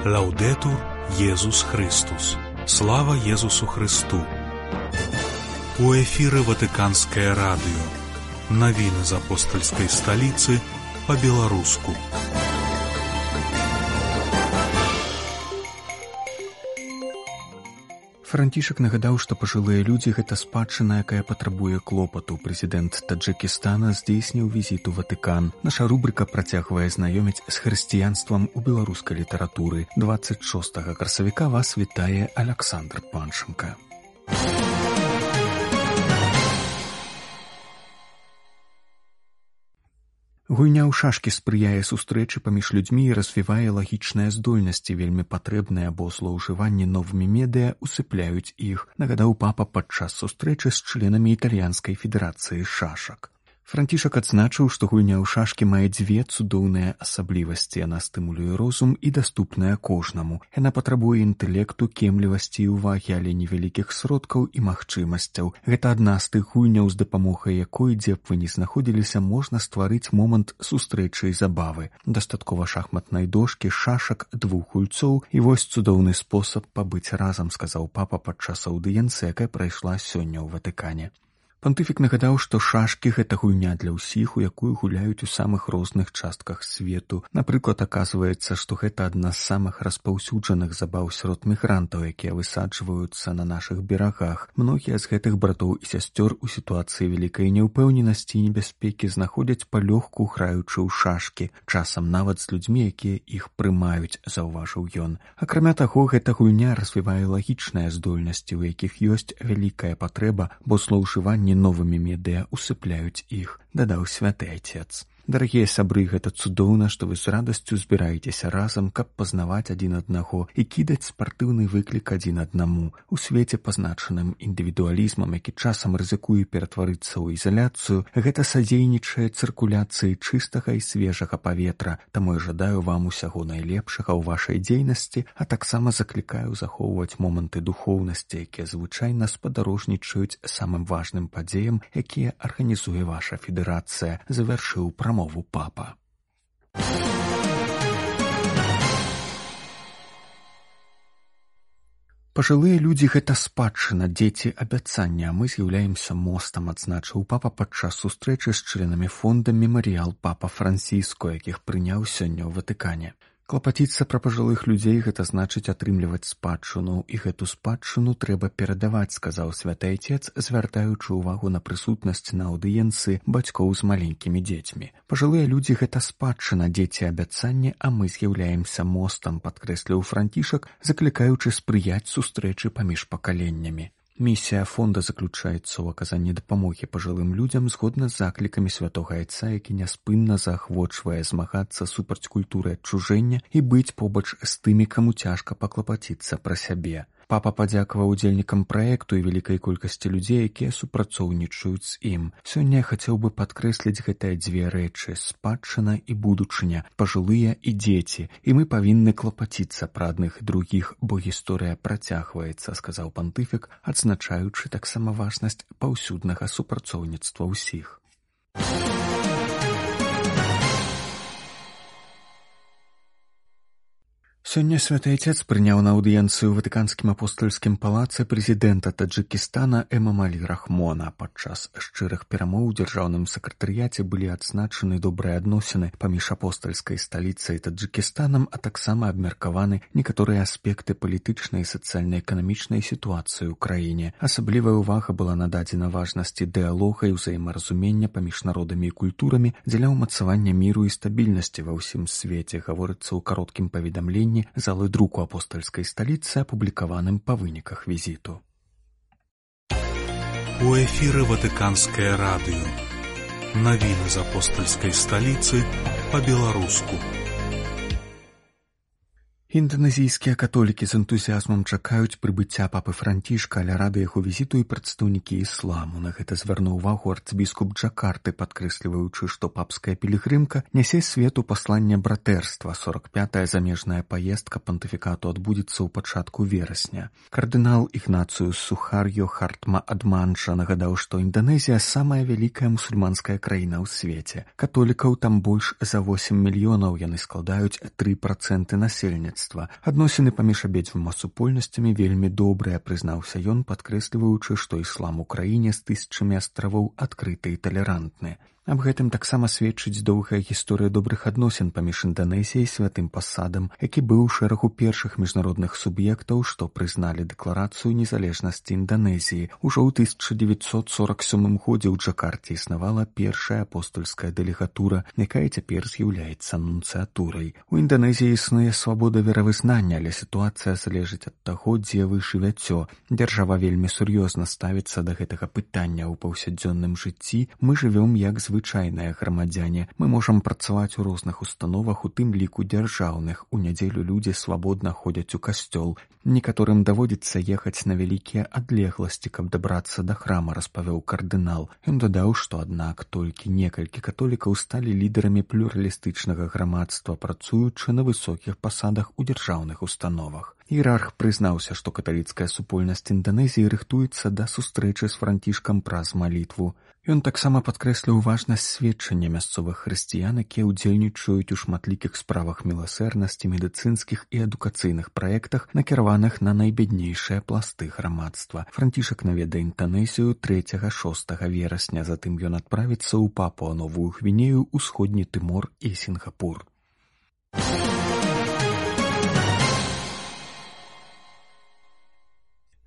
Лаўдэтур Езус Христус. Слава Езусу Христу. У эфіры Ватыканскае радыё. Навіны з апостальскай сталіцы па-беларуску. Францішак нагадаў, што пажылыя людзі – гэта спадчына, якая патрабуе клопату. Прэзідэнт Таджыкістана здзейсніў візіт у Ватыкан. Наша рубрыка працягвае знаёміць з хрысціянствам у беларускай літаратуры. 26 красавіка вас вітае Аляксандр Панченка. Гульня ў шашкі спрыяе сустрэчы паміж людзьмі і развівае лагічныя здольнасці, вельмі патрэбныя, бо злоўжыванні новымі медыя усыпляюць іх, нагадаў папа падчас сустрэчы з членамі італьянскай федэрацыі шашак. Францішак адзначыў, што гульня ў шашкі мае дзве цудоўныя асаблівасці. Яна стымулюе розум і даступная кожнаму. Яна патрабуе інтэлекту, кемлівасці і ўвагі, але невялікіх сродкаў і магчымасцяў. Гэта адна з тых гульняў, з дапамогай якой, дзе б вы ні знаходзіліся, можна стварыць момант сустрэчы і забавы. Дастаткова шахматнай дошкі, шашак, двух гульцоў, і вось цудоўны спосаб пабыць разам, сказаў папа падчас аўдыенцыі, якая прайшла сёння ў Ватыкане. Пантыфік нагадаў, што шашкі – гэта гульня для ўсіх, у якую гуляюць у самых розных частках свету. Напрыклад, аказваецца, што гэта адна з самых распаўсюджаных забаў сярод мігрантаў, якія высаджваюцца на нашых берагах. Многія з гэтых братоў і сясцёр у сітуацыі вялікай няўпэўненасці і небяспекі знаходзяць палёгку, граючы ў шашкі, часам нават з людзьмі, якія іх прымаюць, заўважыў ён. Акрамя таго, гэта гульня развівае лагічныя здольнасці, у якіх ёсць вялікая патрэба, бо злоўжыванні новымі медыя усыпляюць іх, дадаў святы Отец. Дарагія сябры, гэта цудоўна, што вы з радасцю збіраецеся разам, каб пазнаваць адзін аднаго і кідаць спартыўны выклік адзін аднаму. У свеце, пазначаным індывідуалізмам, які часам рызыкуе ператварыцца ў ізаляцыю, гэта садзейнічае цыркуляцыі чыстага і свежага паветра. Таму я жадаю вам усяго найлепшага ў вашай дзейнасці, а таксама заклікаю захоўваць моманты духоўнасці, якія звычайна спадарожнічаюць самым важным падзеям, якія арганізуе ваша федэрацыя, завяршыў прамову папа. Пажылыя людзі – гэта спадчына, дзеці – абяцання, а мы з'яўляемся мостам, адзначыў папа падчас сустрэчы з членамі фонда «Мемарыял папа Франціско», якіх прыняў сёння ў Ватыкане. Клапаціцца пра пажылых людзей – гэта значыць атрымліваць спадчыну, і гэту спадчыну трэба перадаваць, сказаў святы Отец, звяртаючы ўвагу на прысутнасць на аўдыенцыі бацькоў з маленькімі дзецьмі. Пажылыя людзі – гэта спадчына, дзеці – абяцанне, а мы з'яўляемся мостам, падкрэсліў Францішак, заклікаючы спрыяць сустрэчы паміж пакаленнямі. Місія фонда заключаецца ў аказанні дапамогі пажылым людзям згодна з заклікамі святога Айца, які няспынна заахвочвае змагацца супраць культуры адчужэння і быць побач з тымі, каму цяжка паклапаціцца пра сябе. Папа падзякаваў удзельнікам праекту і вялікай колькасці людзей, якія супрацоўнічаюць з ім. Сёння я хацеў бы падкрэсліць гэтыя дзве рэчы – спадчына і будучыня, пажылыя і дзеці, і мы павінны клапаціцца пра адных і другіх, бо гісторыя працягваецца, сказаў пантыфік, адзначаючы таксама важнасць паўсюднага супрацоўніцтва ўсіх. Сёння святы Отец прыняў на аўдыенцыю ў Ватыканскім апостальскім палацы прэзідэнта Таджыкістана Эмамалі Рахмона. Падчас шчырых перамоў у дзяржаўным сакратарыяце былі адзначаны добрыя адносіны паміж апостальскай сталіцай Таджыкістанам, а таксама абмеркаваны некаторыя аспекты палітычнай і сацыяльна-эканамічнай сітуацыі ў краіне. Асаблівая ўвага была нададзена важнасці дыялога і ўзаемаразумення паміж народамі і культурамі дзеля ўмацавання міру і стабільнасці ва ўсім свеце, гаворыцца ў кароткім паведамленні залы друку апостальскай сталіцы, апублікаваным па выніках візіту. У эфіры Ватыканскае радыё. Навіны з апостальскай сталіцы па-беларуску. Інданезійскія католікі з энтузіазмам чакаюць прыбыцця папы Францішка, але рады яго візіту і прадстаўнікі ісламу. На гэта звярнуў увагу арцыбіскуп Джакарты, падкрэсліваючы, што папская пілігрымка нясе свету пасланне братэрства. 45-я замежная паездка пантыфікату адбудзецца ў пачатку верасня. Кардынал Ігнацыюс Сухарьё Хартма Адманча нагадаў, што Інданезія самая вялікая мусульманская краіна ў свеце. Католікаў там больш за 8 мільёнаў, яны складаюць 3% насельніцтва. грамадства. Адносіны паміж абедзвюма супольнасцямі вельмі добрыя, прызнаўся ён, падкрэсліваючы, што іслам у краіне з тысячамі астравоў адкрыты і талерантны. Аб гэтым таксама сведчыць доўгая гісторыя добрых адносін паміж Інданезіяй і святым пасадам, які быў у шэрагу першых міжнародных суб'ектаў, што прызналі дэкларацыю незалежнасці Інданезіі. Ужо ў 1947 годзе ў Джакарце існавала першая апостольская дэлегатура, якая цяпер з'яўляецца нунцыятурай. У Інданезіі існуе свабода веравызнання, але сітуацыя залежыць ад таго, дзе вы жывяце. Дзяржава вельмі сур'ёзна ставіцца да гэтага пытання ў паўсядзённым жыцці. Мы жывём як звычайныя грамадзяне. Мы можам працаваць у розных установах, у тым ліку дзяржаўных. У нядзелю людзі свабодна ходзяць у касцёл. Некаторым даводзіцца ехаць на вялікія адлегласці, каб дабрацца да храма, распавёў кардынал. Ён дадаў, што аднак толькі некалькі католікаў сталі лідарамі плюралістычнага грамадства, працуючы на высокіх пасадах у дзяржаўных установах. Іерарх прызнаўся, што каталіцкая супольнасць Інданезіі рыхтуецца да сустрэчы з францішкам праз малітву. Ён таксама падкрэсліў важнасць сведчання мясцовых хрысціян, якія ўдзельнічаюць у шматлікіх справах міласэрнасці, медыцынскіх і адукацыйных праектах, накіраваных на найбяднейшыя пласты грамадства. Францішак наведае Інданезію 3-6 верасня, затым ён адправіцца ў Папуа-Новую Гвінею, Усходні Тымор і Сінгапур.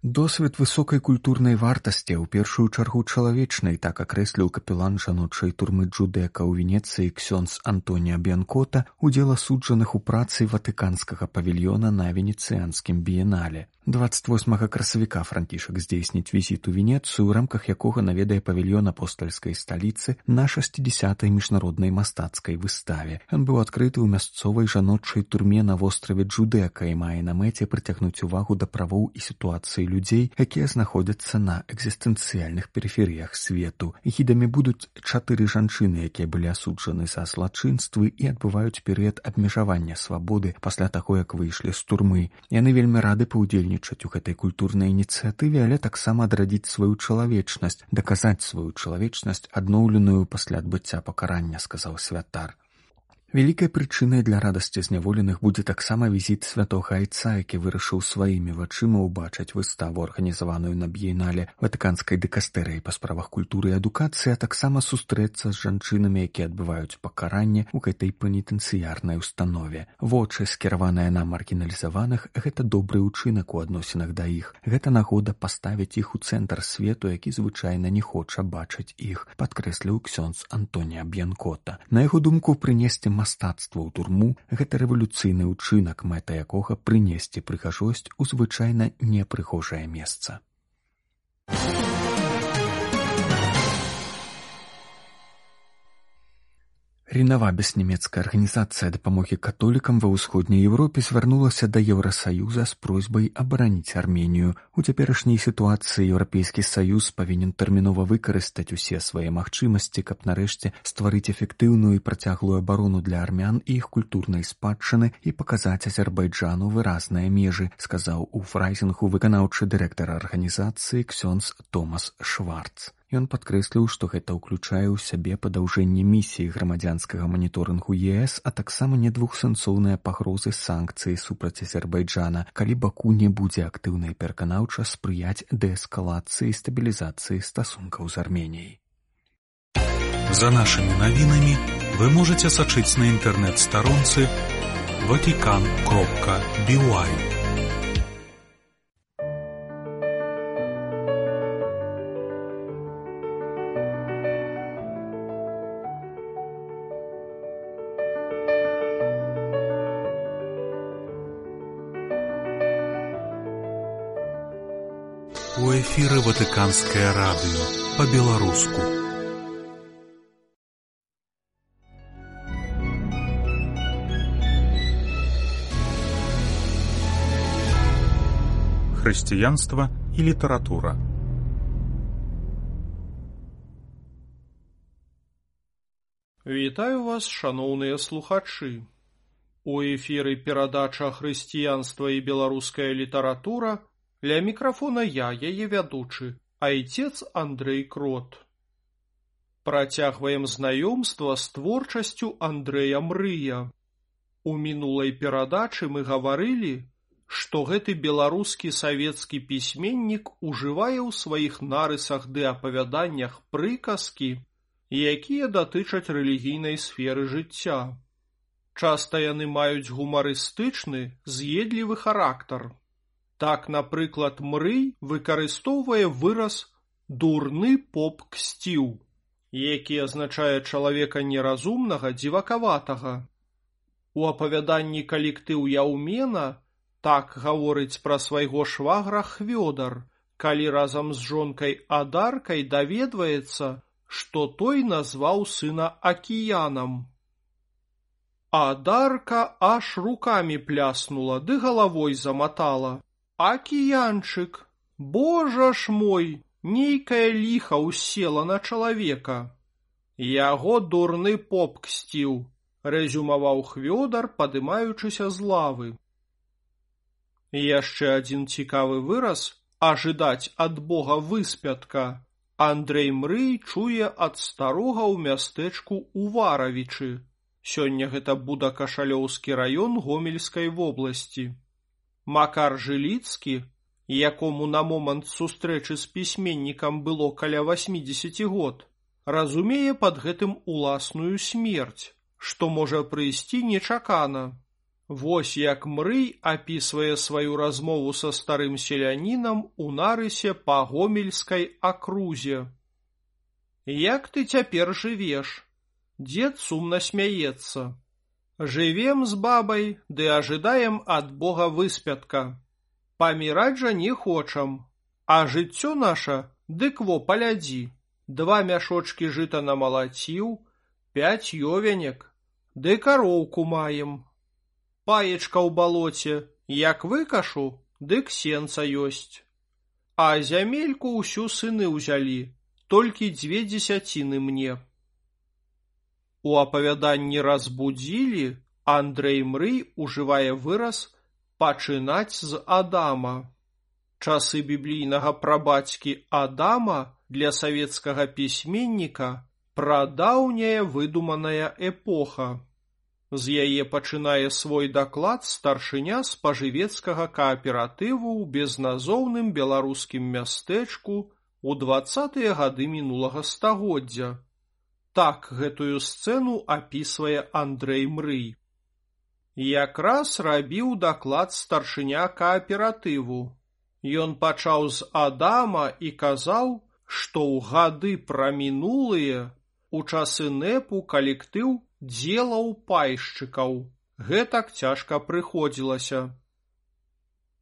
Досвед высокай культурнай вартасці, у першую чаргу чалавечнай, так акрэсліў капелан жаночай турмы Джудэка ў Венецыі ксёндз Антоніа Б'янкота, удзел асуджаных у працы ватыканскага павільёна на венецыянскім біенале. 28 красавіка Францішак здзейсніць візіт у Венецыю, у рамках якога наведае павільён апостальскай сталіцы на 60-й міжнароднай мастацкай выставе. Ён быў адкрыты ў мясцовай жаночай турме на востраве Джудэка і мае на мэце прыцягнуць увагу да правоў і сітуацыі людзей, якія знаходзяцца на экзістэнцыяльных перыферыях свету. Гідамі будуць 4 жанчыны, якія былі асуджаны за злачынствы і адбываюць перыяд абмежавання свабоды пасля таго, як выйшлі з турмы. Яны вельмі рады паўдзельнічаць у гэтай культурнай ініцыятыве, але таксама адрадзіць сваю чалавечнасць, даказаць сваю чалавечнасць, адноўленую пасля адбыцця пакарання, сказаў святар. Вялікай прычынай для радасці зняволеных будзе таксама візіт святога айца, які вырашыў сваімі вачыма ўбачыць выставу, арганізаваную на біенале ватыканскай дыкастэрыяй па справах культуры і адукацыі, а таксама сустрэцца з жанчынамі, якія адбываюць пакаранне ў гэтай пенітэнцыярнай установе. Вочы, скіраваныя на маргіналізаваных, гэта добры ўчынак у адносінах да іх. Гэта нагода паставіць іх у цэнтр свету, які звычайна не хоча бачыць іх, падкрэсліў ксёндз Антоніа Б'янкота. На яго думку, прынесці мастацтва ў турму – гэта рэвалюцыйны ўчынак, мэта якога прынесці прыгажосць у звычайна непрыгожае месца. Ренавабіс, нямецкая арганізацыя дапамогі католікам ва ўсходняй Еўропе, звярнулася да Еўрасаюза з просьбай абараніць Арменію. У цяперашняй сітуацыі Еўрапейскі саюз павінен тэрмінова выкарыстаць усе свае магчымасці, каб нарэшце стварыць эфектыўную і працяглую абарону для армян і іх культурнай спадчыны і паказаць Азербайджану выразныя межы, сказаў у фрайзінгу выканаўчы дырэктар арганізацыі ксёндз Томас Шварц. Ён падкрэсліў, што гэта ўключае ў сябе падаўжэнне місіі грамадзянскага маніторынгу ЕС, а таксама недвухсэнсоўныя пагрозы санкцыі супраць Азербайджана, калі Баку не будзе актыўна і пераканаўча спрыяць дээскалацыі і стабілізацыі стасункаў з Арменіяй. За нашымі навінамі вы можаце сачыць на інтэрнэт-старонцы vatican.by. У эфіры Ватыканскае радыё па-беларуску. Хрысціянства і літаратура. Вітаю вас, шаноўныя слухачы. У эфіры перадача «Хрысціянства і беларуская літаратура». Ля мікрафона я, яе вядучы, айцец Андрэй Крот. Працягваем знаёмства з творчасцю Андрэя Мрыя. У мінулай перадачы мы гаварылі, што гэты беларускі савецкі пісьменнік ужывае ў сваіх нарысах ды апавяданнях прыказкі, якія датычаць рэлігійнай сферы жыцця. Часта яны маюць гумарыстычны, з'едлівы характар. Так, напрыклад, Мрый выкарыстоўвае выраз «дурны поп ксціў», які азначае чалавека неразумнага, дзівакаватага. У апавяданні «Калектыў Яўмена» так гаворыць пра свайго швагра Хвёдар, калі разам з жонкай Адаркай даведваецца, што той назваў сына Акіянам. Адарка аж рукамі пляснула ды галавой заматала. «Акіянчык, божа ж мой, нейкае ліха ўсела на чалавека». «Яго дурны поп ксціў», рэзюмаваў Хвёдар, падымаючыся з лавы. Яшчэ адзін цікавы выраз «ажыдаць ад Бога выспятка» Андрэй Мрый чуе ад старога ў мястэчку Уваравічы. Сёння гэта Будакашалёўскі раён Гомельскай вобласці. Макар Жыліцкі, якому на момант сустрэчы з пісьменнікам было каля 80 год, разумее пад гэтым уласную смерць, што можа прыйсці нечакана. Вось як Мрый апісвае сваю размову са старым селянінам у нарысе па Гомельскай акрузе. «Як ты цяпер жывеш?» Дзед сумна смяецца. «Жывем з бабай, ды ажыдаем ад Бога выспятка. Паміраць жа не хочам, а жыццё наша, дык во палядзі, 2 мяшочкі жыта намалаціў, 5 ёвенек, ды кароўку маем. Паечка ў балоце, як выкашу, дык сенца ёсць. А зямельку ўсю сыны ўзялі, толькі 2 дзесяціны мне». У апавяданні «Разбудзілі» Андрэй Мрый ужывае выраз «пачынаць з Адама». Часы біблійнага прабацькі Адама для савецкага пісьменніка прадаўняя выдуманая эпоха. З яе пачынае свой даклад старшыня спажывецкага кааператыву ў безназоўным беларускім мястэчку ў 20-е гады мінулага стагоддзя. Так гэтую сцэну апісвае Андрэй Мрый. Якраз рабіў даклад старшыня кааператыву. Ён пачаў з Адама і казаў, што ў гады прамінулыя у часы НЭПу калектыў дзелаў пайшчыкаў. Гэтак цяжка прыходзілася.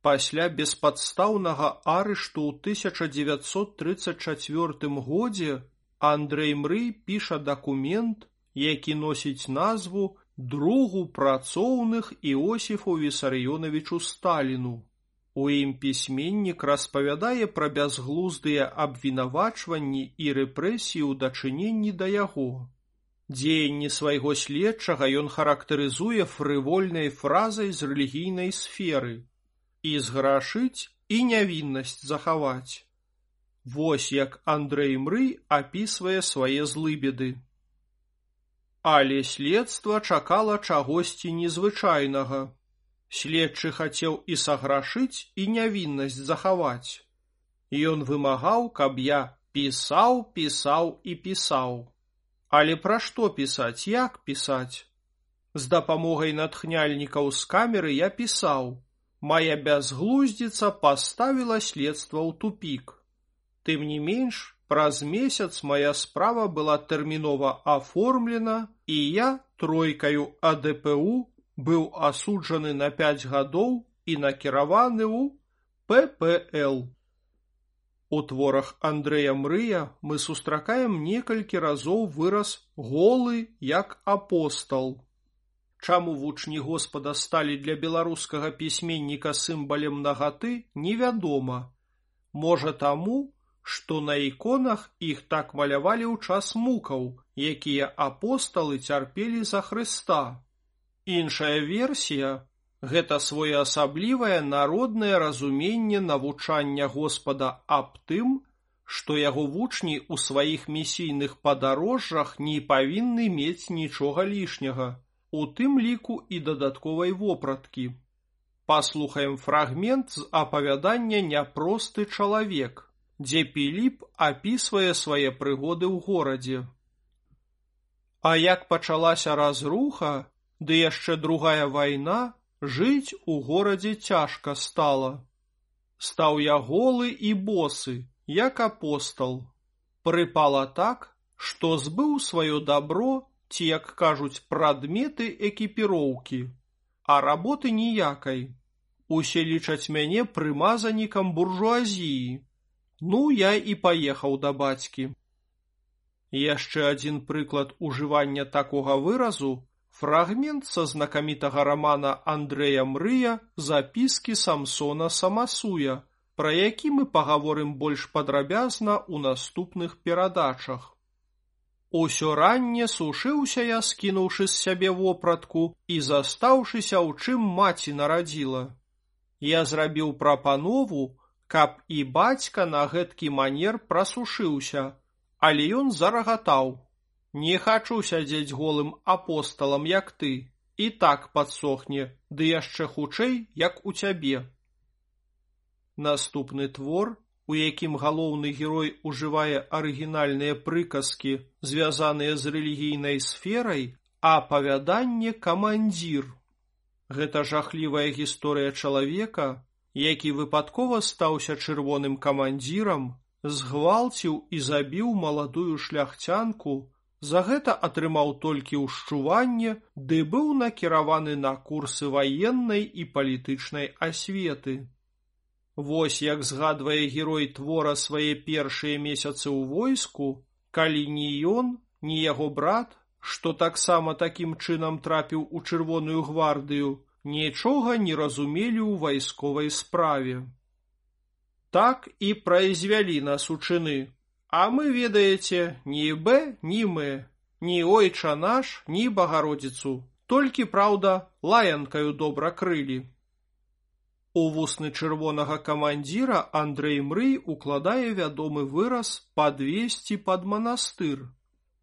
Пасля беспадстаўнага арышту ў 1934 годзе Андрэй Мрый піша дакумент, які носіць назву «Другу працоўных Іосіфу Вісарыёнавічу Сталіну». У ім пісьменнік распавядае пра бязглуздыя абвінавачванні і рэпрэсіі ў дачыненні да яго. Дзеянні свайго следчага ён характарызуе фрывольнай фразай з рэлігійнай сферы «і зграшыць, і нявіннасць захаваць». Вось як Андрэй Мрый апісвае свае злыбеды. Але следства чакала чагосьці незвычайнага. Следчы хацеў і саграшыць, і нявіннасць захаваць. Ён вымагаў, каб я пісаў, пісаў і пісаў. Але пра што пісаць, як пісаць? З дапамогай натхняльнікаў з камеры я пісаў. Мая бязглуздзіца паставіла следства ў тупік. Тым не менш, праз месяц мая справа была тэрмінова аформлена, і я тройкаю АДПУ быў асуджаны на 5 гадоў і накіраваны ў ППЛ. У творах Андрэя Мрыя мы сустракаем некалькі разоў выраз «голы як апостал». Чаму вучні Господа сталі для беларускага пісьменніка сімвалем нагаты, невядома. Можа таму, што на іконах іх так малявалі ў час мукаў, якія апосталы цярпелі за Хрыста. Іншая версія – гэта своеасаблівае народнае разуменне навучання Господа аб тым, што яго вучні ў сваіх місійных падарожжах не павінны мець нічога лішняга, у тым ліку і дадатковай вопраткі. Паслухаем фрагмент з апавядання «Няпросты чалавек», дзе Піліп апісвае свае прыгоды ў горадзе. А як пачалася разруха, ды яшчэ другая вайна, жыць у горадзе цяжка стала. Стаў я голы і босы, як апостал. Прыпала так, што збыў сваё дабро, ці, як кажуць, прадметы экіпіроўкі, а работы ніякай. Усе лічаць мяне прымазанікам буржуазіі. Ну, я і паехаў да бацькі. Яшчэ адзін прыклад ужывання такога выразу – фрагмент са знакамітага рамана Андрэя Мрыя «Запіскі Самсона Самасуя», пра які мы пагаворым больш падрабязна ў наступных перадачах. Усё ранне сушыўся я, скінуўшы з сябе вопратку і застаўшыся, у чым маці нарадзіла. Я зрабіў прапанову, каб і бацька на гэткі манер прасушыўся, але ён зарагатаў. Не хачу сядзець голым апосталам, як ты, і так падсохне, ды яшчэ хутчэй, як у цябе. Наступны твор, у якім галоўны герой ужывае арыгінальныя прыказкі, звязаныя з рэлігійнай сферай, апавяданне «Камандзір». Гэта жахлівая гісторыя чалавека, які выпадкова стаўся чырвоным камандзірам, згвалціў і забіў маладую шляхцянку, за гэта атрымаў толькі ўшчуванне, ды быў накіраваны на курсы ваеннай і палітычнай асветы. Вось як згадвае герой твора свае першыя месяцы ў войску, калі ні ён, ні яго брат, што таксама такім чынам трапіў у Чырвоную гвардыю, нічога не разумелі ў вайсковай справе. Так і прайзвялі нас у чыны, а мы, ведаеце, ні б, ні мы, ні ойча наш, ні Багародзіцу, толькі, праўда, лаянкаю добра крылі. У вусны чырвонага камандзіра Андрэй Мрый укладае вядомы выраз «падвесці пад манастыр».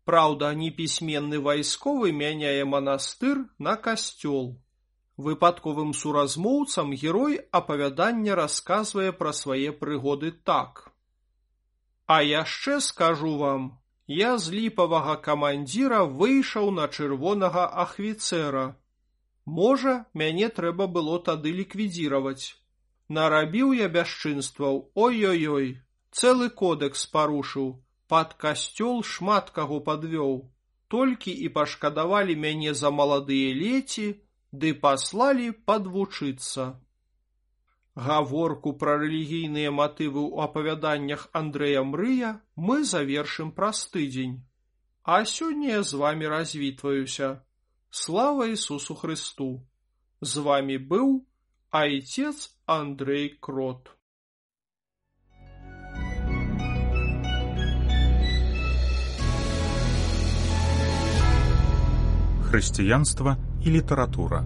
Праўда, непісьменны вайсковы мяняе манастыр на касцёл. Выпадковым суразмоўцам герой апавядання расказвае пра свае прыгоды так. А яшчэ скажу вам, я з ліпавага камандзіра выйшаў на чырвонага ахвіцэра. Можа, мяне трэба было тады ліквідзіраваць. Нарабіў я бясчынстваў, ой-ой-ой, цэлы кодэкс парушыў, пад касцёл шмат каго падвёў. Толькі і пашкадавалі мяне за маладыя леці, ды паслалі падвучыцца. Гаворку пра рэлігійныя матывы ў апавяданнях Андрэя Мрыя мы завершым праз тыдзень. А сёння я з вамі развітваюся. Слава Ісусу Христу! З вами быў Айцец Андрэй Крот. Хрысціянства і літаратура.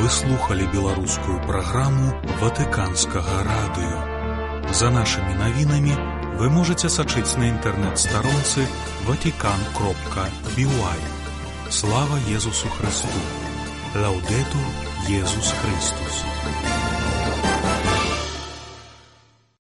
Вы слухали беларускую праграму Ватыканскага радыё. За нашымі навінамі вы можете сачыць на інтэрнэт-старонцы vatican.by. Слава Езусу Христу! Лаўдэтур Езус Христус!